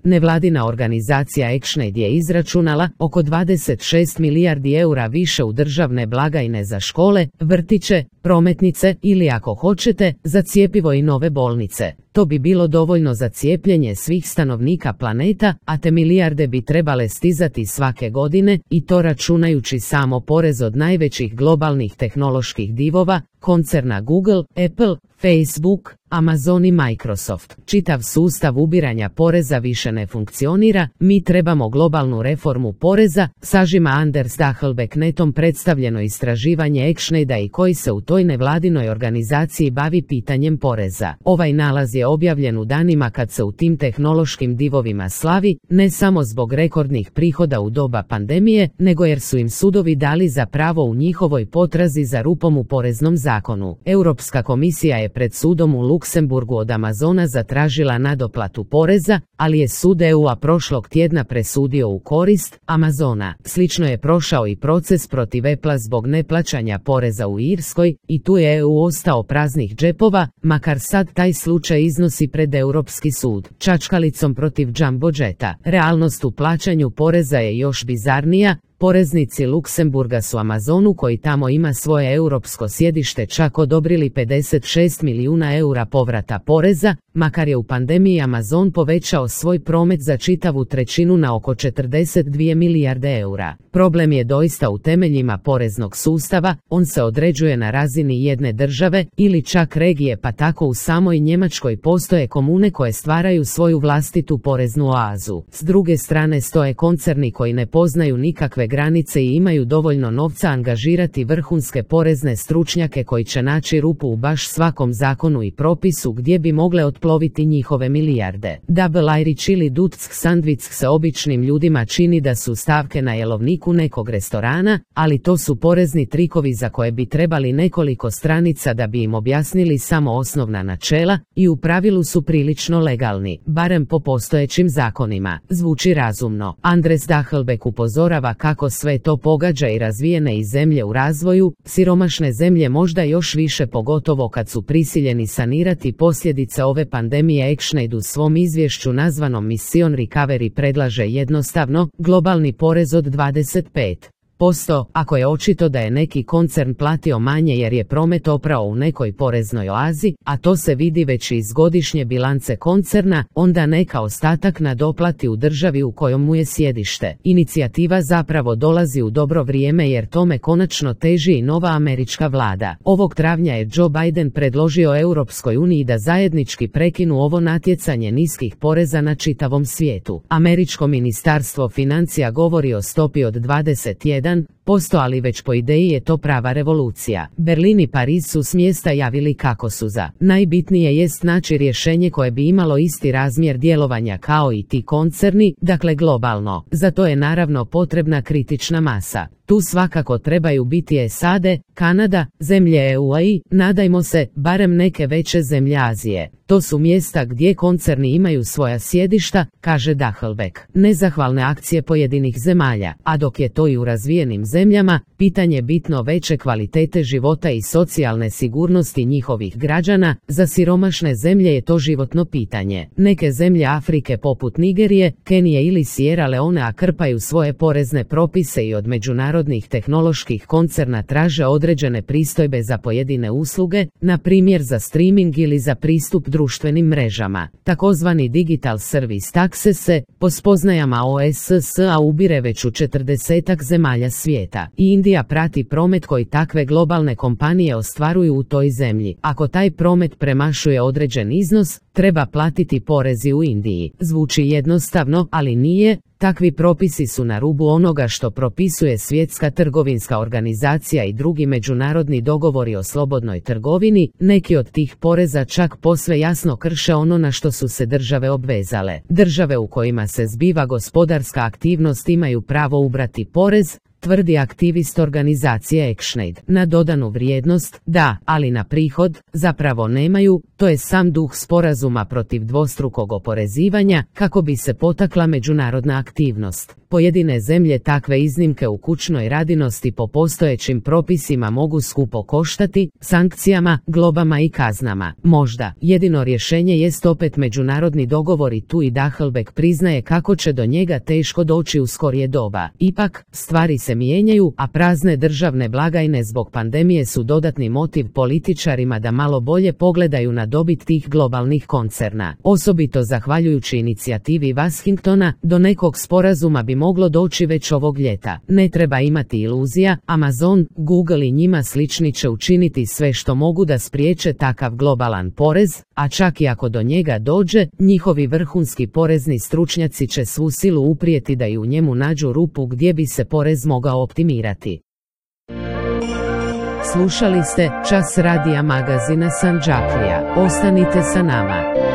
Nevladina organizacija ActionAid je izračunala oko 26 milijardi eura više u državne blagajne za škole, vrtiće, prometnice ili ako hoćete, za cjepivo i nove bolnice. To bi bilo dovoljno za cijepljenje svih stanovnika planeta, a te milijarde bi trebale stizati svake godine i to računajući samo porez od najvećih globalnih tehnoloških divova, koncerna Google, Apple, Facebook, Amazon i Microsoft. Čitav sustav ubiranja poreza više ne funkcionira, mi trebamo globalnu reformu poreza, sažima Anders Dachelbeck netom predstavljeno istraživanje ActionAida i koji se u toj nevladinoj organizaciji bavi pitanjem poreza. Ovaj nalaz je objavljen u danima kad se u tim tehnološkim divovima slavi, ne samo zbog rekordnih prihoda u doba pandemije, nego jer su im sudovi dali za pravo u njihovoj potrazi za rupom u poreznom zakonu. Europska komisija je pred sudom u Luksemburgu od Amazona zatražila nadoplatu poreza, ali je sud EU-a prošlog tjedna presudio u korist Amazona. Slično je prošao i proces protiv Apple zbog neplaćanja poreza u Irskoj i tu je EU ostao praznih džepova, makar sad taj slučaj iznosi pred Europski sud. Čačkalicom protiv Jumbo Jeta. Realnost u plaćanju poreza je još bizarnija. Poreznici Luksemburga su Amazonu, koji tamo ima svoje europsko sjedište, čak odobrili 56 milijuna eura povrata poreza, makar je u pandemiji Amazon povećao svoj promet za čitavu trećinu na oko 42 milijarde eura. Problem je doista u temeljima poreznog sustava, on se određuje na razini jedne države ili čak regije, pa tako u samoj Njemačkoj postoje komune koje stvaraju svoju vlastitu poreznu oazu. S druge strane stoje koncerni koji ne poznaju nikakve granice i imaju dovoljno novca angažirati vrhunske porezne stručnjake koji će naći rupu u baš svakom zakonu i propisu gdje bi mogle otploviti njihove milijarde. Double Irish ili Dutsk sandvič se običnim ljudima čini da su stavke na jelovniku nekog restorana, ali to su porezni trikovi za koje bi trebali nekoliko stranica da bi im objasnili samo osnovna načela i u pravilu su prilično legalni, barem po postojećim zakonima. Zvuči razumno. Anders Dachelbeck upozorava kako sve to pogađa i razvijene i zemlje u razvoju, siromašne zemlje možda još više, pogotovo kad su prisiljeni sanirati posljedice ove pandemije. ActionAid u svom izvješću nazvanom Mission Recovery predlaže jednostavno globalni porez od 25%, ako je očito da je neki koncern platio manje jer je promet oprao u nekoj poreznoj oazi, a to se vidi već iz godišnje bilance koncerna, onda neka ostatak nadoplati u državi u kojoj mu je sjedište. Inicijativa zapravo dolazi u dobro vrijeme jer tome konačno teži i nova američka vlada. Ovog travnja je Joe Biden predložio Europskoj uniji da zajednički prekinu ovo natjecanje niskih poreza na čitavom svijetu. Američko ministarstvo financija govori o stopi od 21%, ali već po ideji je to prava revolucija. Berlin i Pariz su s mjesta javili kako su za. Najbitnije jest naći rješenje koje bi imalo isti razmjer djelovanja kao i ti koncerni, dakle globalno. Za to je naravno potrebna kritična masa. Tu svakako trebaju biti SAD, Kanada, zemlje EU-a i, nadajmo se, barem neke veće zemlje Azije. To su mjesta gdje koncerni imaju svoja sjedišta, kaže Dachelbeck. Nezahvalne akcije pojedinih zemalja, a dok je to i u razvijenim zemljama, pitanje bitno veće kvalitete života i socijalne sigurnosti njihovih građana, za siromašne zemlje je to životno pitanje. Neke zemlje Afrike poput Nigerije, Kenije ili Sierra Leonea krpaju svoje porezne propise i od međunarodnih tehnoloških koncerna traže određene pristojbe za pojedine usluge, na primjer za streaming ili za pristup društvenim mrežama. Takozvani Digital Service Taxe se, po spoznajama OESS-a, ubire već u 40-ak zemalja svijeta. I Indija prati promet koji takve globalne kompanije ostvaruju u toj zemlji. Ako taj promet premašuje određen iznos, treba platiti porezi u Indiji. Zvuči jednostavno, ali nije. Takvi propisi su na rubu onoga što propisuje Svjetska trgovinska organizacija i drugi međunarodni dogovori o slobodnoj trgovini. Neki od tih poreza čak posve jasno krše ono na što su se države obvezale. Države u kojima se zbiva gospodarska aktivnost imaju pravo ubrati porez, tvrdi aktivist organizacije ActionAid. Na dodanu vrijednost, da, ali na prihod, zapravo nemaju. To je sam duh sporazuma protiv dvostrukog oporezivanja, kako bi se potakla međunarodna aktivnost. Pojedine zemlje takve iznimke u kućnoj radinosti po postojećim propisima mogu skupo koštati, sankcijama, globama i kaznama. Možda, jedino rješenje jest opet međunarodni dogovor i tu i Dachelbeck priznaje kako će do njega teško doći u skorije doba. Ipak, stvari se mijenjaju, a prazne državne blagajne zbog pandemije su dodatni motiv političarima da malo bolje pogledaju na dobit tih globalnih koncerna. Osobito zahvaljujući inicijativi Washingtona, do nekog sporazuma bi moglo doći već ovog ljeta. Ne treba imati iluzija, Amazon, Google i njima slični će učiniti sve što mogu da spriječe takav globalan porez, a čak i ako do njega dođe, njihovi vrhunski porezni stručnjaci će svu silu uprijeti da i u njemu nađu rupu gdje bi se porez mogao optimirati. Slušali ste Čas radija magazina Sandžaklija. Ostanite sa nama.